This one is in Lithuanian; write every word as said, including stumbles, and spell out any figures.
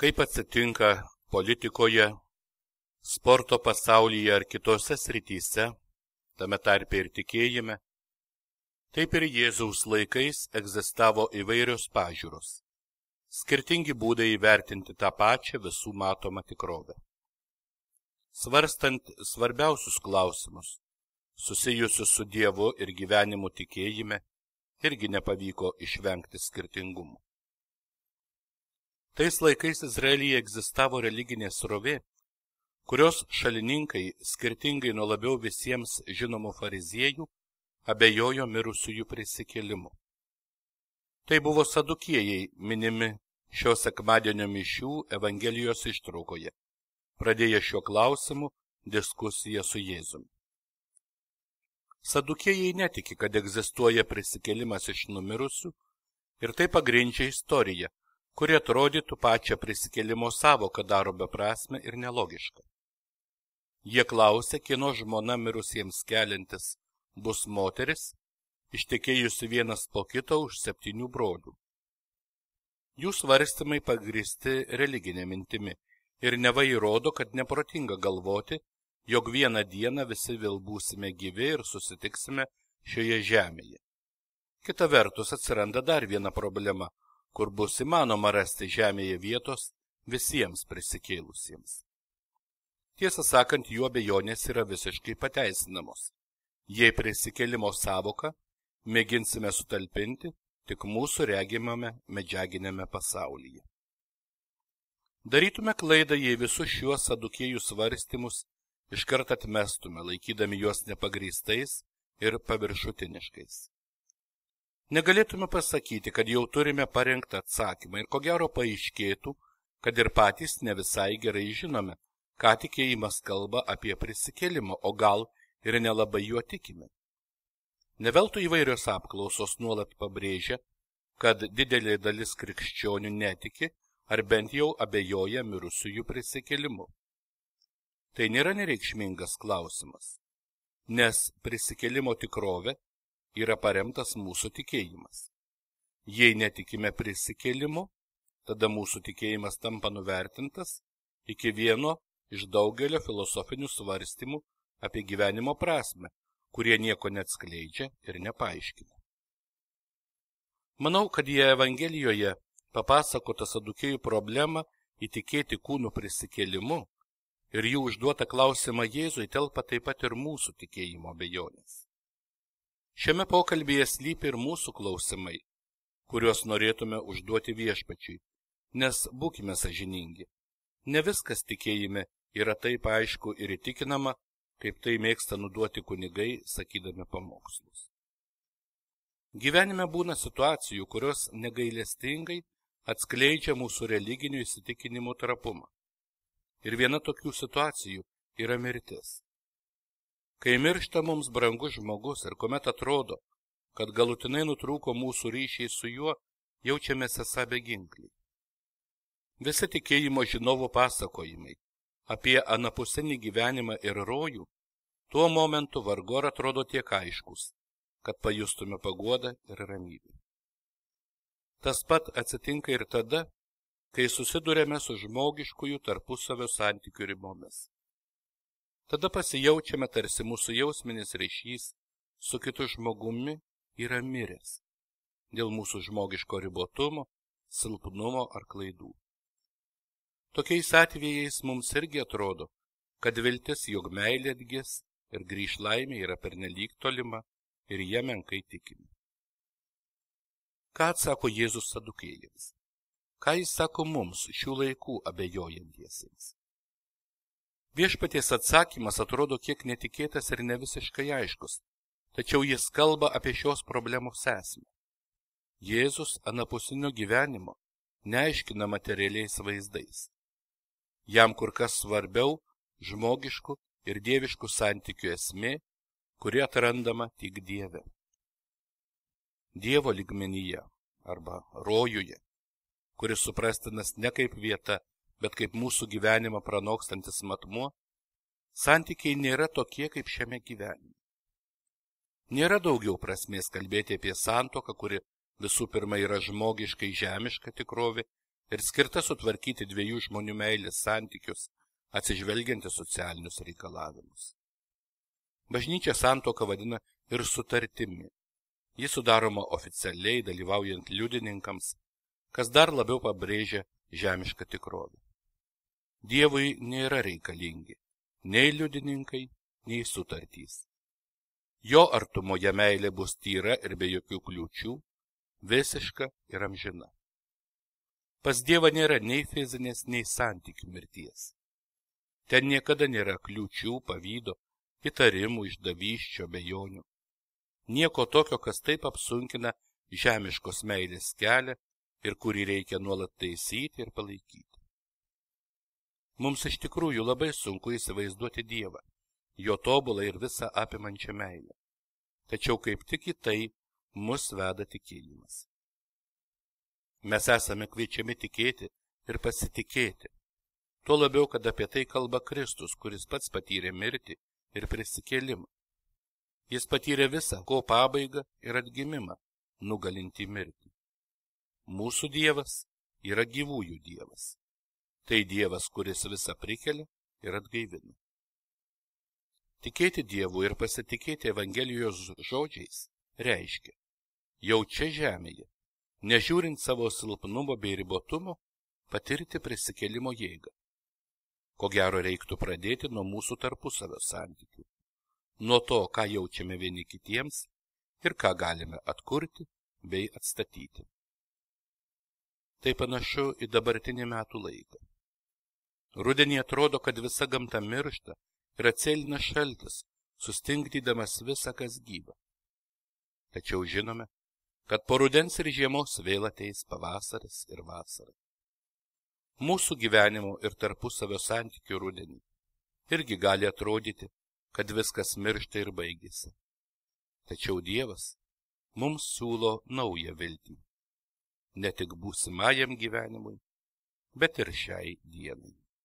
Kaip atsitinka politikoje, sporto pasaulyje ar kitose srityse, tame tarpe ir tikėjime, taip ir Jėzaus laikais egzistavo įvairios pažiūros, skirtingi būdai įvertinti tą pačią visų matomą tikrovę. Svarstant svarbiausius klausimus, susijusius su Dievu ir gyvenimu tikėjime, irgi nepavyko išvengti skirtingumų. Tais laikais Izraelyje egzistavo religinė srovė, kurios šalininkai, skirtingai nuo labiau visiems žinomų fariziejų, abejojo mirusiųjų prisikėlimu. Tai buvo sadukiejai minimi šio sekmadienio mišių Evangelijos ištraukoje, pradėję šiuo klausimu diskusiją su Jėzumi. Sadukiejai netiki, kad egzistuoja prisikėlimas iš numirusių, ir tai pagrindžia istoriją, kuri atrodytų pačią prisikėlimo savoką daro beprasmę ir nelogišką. Jie klausė, kieno žmona mirusiems keliantis bus moteris, ištekėjusi vienas po kito už septynių brolių. Jų svarstymai pagrįsti religinė mintimi ir neva įrodo, kad neprotinga galvoti, jog vieną dieną visi vėl būsime gyvi ir susitiksime šioje žemėje. Kita vertus atsiranda dar viena problema, kur bus įmanoma rasti žemėje vietos visiems prisikėlusiems. Tiesą sakant, jų abejonės yra visiškai pateisinamos, jei prisikėlimo savoką mėginsime sutalpinti tik mūsų regimame medžiaginėme pasaulyje. Darytume klaidą, jei visus šiuos sadukiejų svarstymus iškart atmestume, laikydami juos nepagrįstais ir paviršutiniškais. Negalėtume pasakyti, kad jau turime parengtą atsakymą ir ko gero paaiškėtų, kad ir patys ne visai gerai žinome, ką tikėjimas kalba apie prisikėlimą, o gal ir nelabai juo tikime. Neveltui įvairios apklausos nuolat pabrėžia, kad didelė dalis krikščionių netiki ar bent jau abejoja mirusiųjų prisikėlimu. Tai nėra nereikšmingas klausimas, nes prisikėlimo tikrovė yra paremtas mūsų tikėjimas. Jei netikime prisikėlimu, tada mūsų tikėjimas tampa nuvertintas iki vieno iš daugelio filosofinių svarstymų apie gyvenimo prasmę, kurie nieko neatskleidžia ir nepaaiškina. Manau, kad jie Evangelijoje papasakota sadukiejų problemą įtikėti kūnų prisikėlimu ir jų užduotą klausimą Jėzui telpa taip pat ir mūsų tikėjimo abejonės. Šiame pokalbyje slypi ir mūsų klausimai, kuriuos norėtume užduoti Viešpačiui, nes būkime sąžiningi. Ne viskas tikėjime yra taip aišku ir įtikinama, kaip tai mėgsta nuduoti kunigai, sakydami pamokslus. Gyvenime būna situacijų, kurios negailestingai atskleidžia mūsų religinių įsitikinimų trapumą. Ir viena tokių situacijų yra mirtis. Kai miršta mums brangus žmogus ir kuomet atrodo, kad galutinai nutrūko mūsų ryšiai su juo, jaučiamės esą beginkliai. Visi tikėjimo žinovų pasakojimai apie anapusinį gyvenimą ir rojų tuo momentu vargu ar atrodo tiek aiškus, kad pajustume paguodą ir ramybę. Tas pat atsitinka ir tada, kai susidurėme su žmogiškųjų tarpusavio santykių ribomis. Tada pasijaučiame, tarsi mūsų jausminis ryšys su kitu žmogumi yra miręs dėl mūsų žmogiško ribotumo, silpnumo ar klaidų. Tokiais atvejais mums irgi atrodo, kad viltis, jog meilė atgis ir grįš laimė yra pernelyg tolima ir jie menkai tikime. Ką atsako Jėzus sadukiejams? Ką jis sako mums šių laikų abejojantiesiems? Viešpaties atsakymas atrodo kiek netikėtas ir nevisiškai aiškus, tačiau jis kalba apie šios problemos esmę. Jėzus anapusinio gyvenimo neaiškina materialiais vaizdais. Jam kur kas svarbiau žmogiškų ir dieviškų santykių esmė, kuri atrandama tik Dieve. Dievo lygmenyje arba rojuje, kuris suprastinas ne kaip vieta, bet kaip mūsų gyvenimą pranokstantis matmuo, santykiai nėra tokie kaip šiame gyvenime. Nėra daugiau prasmės kalbėti apie santuoką, kuri visų pirma yra žmogiškai žemiška tikrovė ir skirta sutvarkyti dviejų žmonių meilės santykius, atsižvelgiant į socialinius reikalavimus. Bažnyčia santuoką vadina ir sutartimi. Ji sudaroma oficialiai dalyvaujant liudininkams, kas dar labiau pabrėžia žemišką tikrovę. Dievui nėra reikalingi nei liudininkai, nei sutartys. Jo artumoje meilė bus tyra ir be jokių kliūčių, visiška ir amžina. Pas Dievą nėra nei fizinės, nei santykių mirties. Ten niekada nėra kliūčių, pavydo, įtarimų, išdavysčių, abejonių. Nieko tokio, kas taip apsunkina žemiškos meilės kelią ir kurį reikia nuolat taisyti ir palaikyti. Mums iš tikrųjų labai sunku įsivaizduoti Dievą, jo tobulą ir visą apimančią meilę. Tačiau kaip tik į tai mus veda tikėjimas. Mes esame kviečiami tikėti ir pasitikėti. Tuo labiau, kad apie tai kalba Kristus, kuris pats patyrė mirtį ir prisikėlimą. Jis patyrė visą, ko pabaigą ir atgimimą, nugalintį mirtį. Mūsų Dievas yra gyvųjų Dievas. Tai Dievas, kuris visą prikelia ir atgaivina. Tikėti Dievu ir pasitikėti Evangelijos žodžiais reiškia, jau čia žemėje, nežiūrint savo silpnumo bei ribotumo, patirti prisikėlimo jėgą. Ko gero reiktų pradėti nuo mūsų tarpusavio santykių, nuo to, ką jaučiame vieni kitiems ir ką galime atkurti bei atstatyti. Tai panašu į dabartinį metų laiką. Rudenį atrodo, kad visa gamta miršta ir atsėlina šaltis, sustingdydamas visą, kas gyva. Tačiau žinome, kad po rudens ir žiemos vėl ateis pavasaris ir vasara. Mūsų gyvenimo ir tarpusavio santykių rudenį irgi gali atrodyti, kad viskas miršta ir baigėsi. Tačiau Dievas mums siūlo naują viltį, ne tik būsimajam gyvenimui, bet ir šiai dienai.